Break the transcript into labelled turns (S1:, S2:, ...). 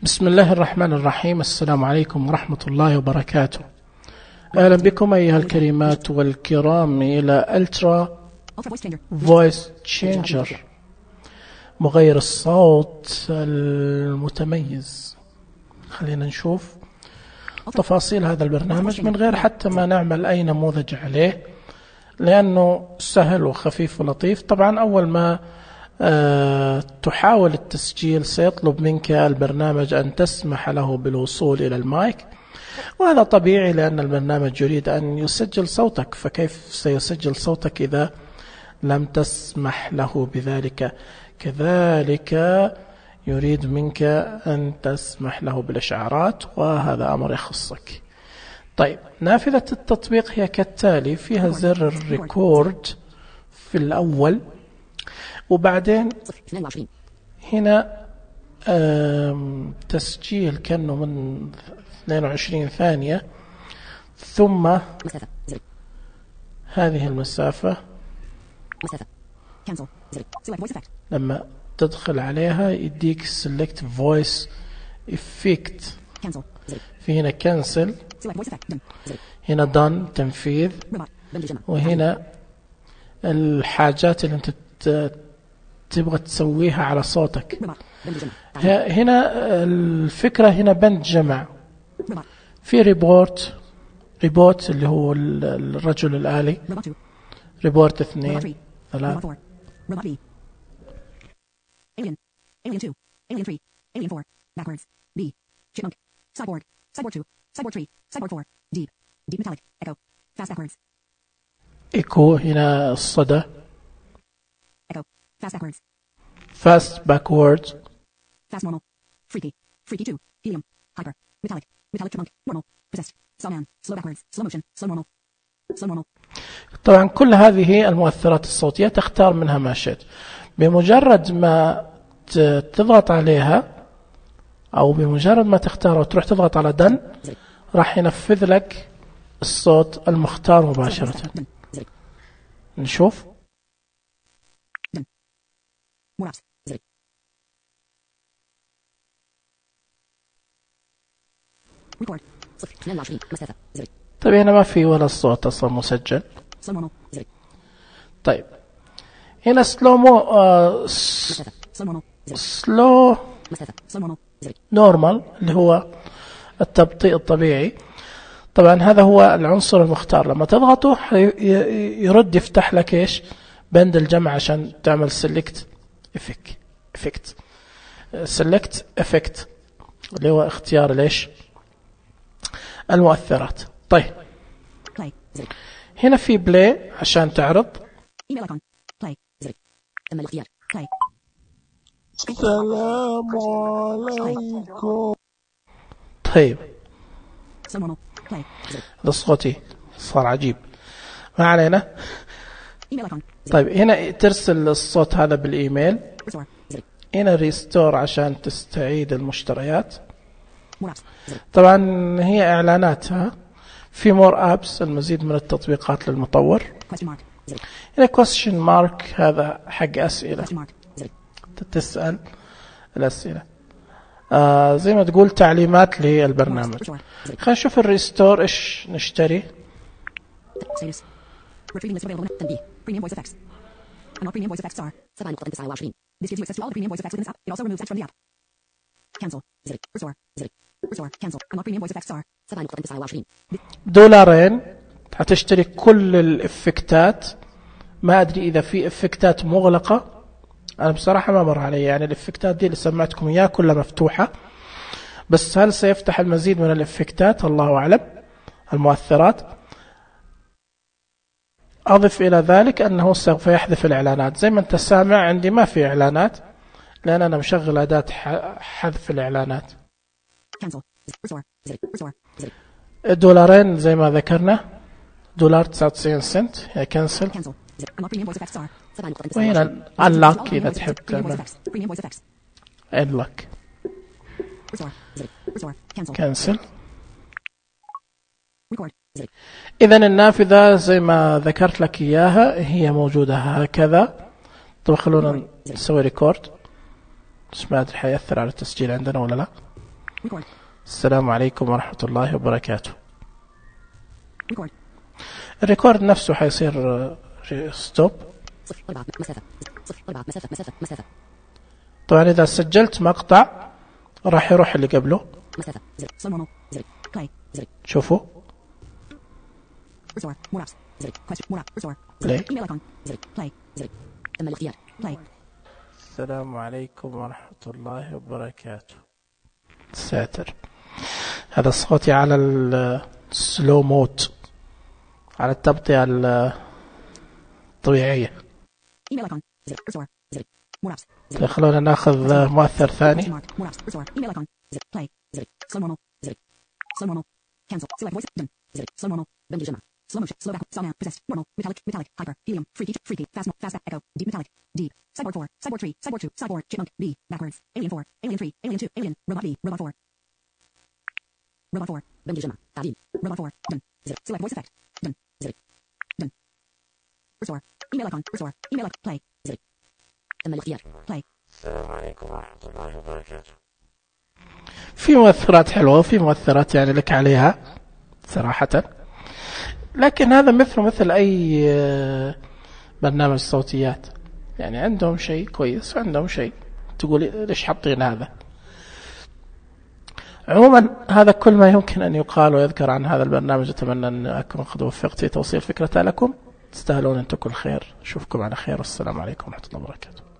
S1: بسم الله الرحمن الرحيم. السلام عليكم ورحمة الله وبركاته. أهلا بكم أيها الكريمات والكرام إلى ألترا فويس تشينجر، مغير الصوت المتميز. خلينا نشوف تفاصيل هذا البرنامج من غير حتى ما نعمل أي نموذج عليه، لأنه سهل وخفيف ولطيف. طبعا أول ما تحاول التسجيل سيطلب منك البرنامج أن تسمح له بالوصول إلى المايك، وهذا طبيعي لأن البرنامج يريد أن يسجل صوتك، فكيف سيسجل صوتك إذا لم تسمح له بذلك؟ كذلك يريد منك أن تسمح له بالإشعارات، وهذا أمر يخصك. طيب، نافذة التطبيق هي كالتالي: فيها زر الريكورد في الأول، وبعدين هنا تسجيل كأنه من 22 ثانية، ثم هذه المسافة لما تدخل عليها يديك select voice effect. في هنا cancel، هنا done تنفيذ، وهنا الحاجات اللي انت تبغى تسويها على صوتك. هنا الفكرة هنا بند جمع، في ريبوت اللي هو الرجل الآلي، ريبورت 2 3 Alien 2 Alien 3 Alien 4 backwards B Chipmunk Cyborg 2 Cyborg 3 Cyborg 4 Deep Metallic Echo Fast backwards Echo. هنا الصدى Echo Fast backwards Fast normal Freaky 2 Helium Hyper Metallic Chipmunk Normal Possessed Sawman Slow backwards Slow motion Slow normal. طبعا كل هذه المؤثرات الصوتية تختار منها ما شئت. بمجرد ما تضغط عليها أو بمجرد ما تختار وتروح تضغط على done، راح ينفذ لك الصوت المختار مباشرة. نشوف. طيب، هنا ما في ولا الصوت أصلا مسجل. طيب، هنا سلو نورمال اللي هو التبطيء الطبيعي. طبعا هذا هو العنصر المختار، لما تضغطه يرد يفتح لك ايش؟ بند الجمع عشان تعمل select effect اللي هو اختيار ليش المؤثرات. طيب، هنا في بلاي عشان تعرض. السلام عليكم. طيب، هذا صوتي صار عجيب، ما علينا. طيب، هنا ترسل الصوت هذا بالإيميل. هنا ريستور عشان تستعيد المشتريات. طبعا هي إعلاناتها. في مور أبس المزيد من التطبيقات للمطور. هنا question mark هذا حق أسئلة، تسأل الأسئلة زي ما تقول تعليمات للبرنامج. خلينا نشوف الريستور إيش نشتري. $2 هتشتري كل الإفكتات. ما أدري إذا في إفكتات مغلقة، أنا بصراحة ما مر علي، يعني الإفكتات دي اللي سمعتكم إياها كلها مفتوحة، بس هل سيفتح المزيد من الإفكتات؟ الله أعلم. المؤثرات. أضف إلى ذلك أنه سوف يحذف الإعلانات. زي ما أنت سامع عندي ما في إعلانات، لأن أنا مشغل أداة حذف الإعلانات. $2 زي ما ذكرنا، $1.99 هي كنسل. وهنا unlock إذا تحب تعمل unlock كنسل. إذا النافذة زي ما ذكرت لك إياها هي موجودة هكذا. طب خلونا نسوي ريكورد، بس ما أدري حيأثر على التسجيل عندنا ولا لا. Record.
S2: السلام عليكم ورحمة الله وبركاته.
S1: Record.
S2: الريكورد نفسه حيصير ستوب. طبعا إذا سجلت مقطع راح يروح اللي قبله.
S1: Slow normal. Play.
S2: شوفوا.
S1: Restore. More apps. Question. More app. Restore.
S2: Play.
S1: Email icon. Play. تم الاختيار. Play.
S2: السلام عليكم ورحمة الله وبركاته. ساتر. هذا صوتي على السلو مود، على التبطئة الطبيعية.
S1: Email icon. Restore. More apps.
S2: خلونا ناخذ مؤثر ثاني.
S1: More apps. Restore. Email icon. Play. Slow normal. Slow normal. Cancel. Select voice. Done. Slow normal. بند الجمع. Slow motion. Slow back. Slow man. Possessed. Normal. Metallic. Hyper. Helium. Freaky. Fast. Echo. Deep metallic. Deep. Cyborg 4. Cyborg 3. Cyborg 2. Cyborg. Chipmunk. B. Backwards. Alien 4. Alien 3. Alien 2. Alien. Robot B. Robot 4. Robot 4. بند الجمع. تعديل. Robot 4. Done. Select voice effect. Done. Done. Restore. Email icon. Restore. Email icon. Play. تم الاختيار. Play.
S2: السلام عليكم ورحمة الله وبركاته. في مؤثرات حلوة وفي مؤثرات يعني لك عليها صراحة، لكن هذا مثل أي برنامج صوتيات، يعني عندهم شيء كويس وعندهم شيء تقول ليش حاطين هذا. عموما هذا كل ما يمكن أن يقال ويذكر عن هذا البرنامج. أتمنى أن أكون قد وفقت في توصيل فكرته لكم. تستاهلون أن تكون خير. أشوفكم على خير والسلام عليكم ورحمة الله وبركاته.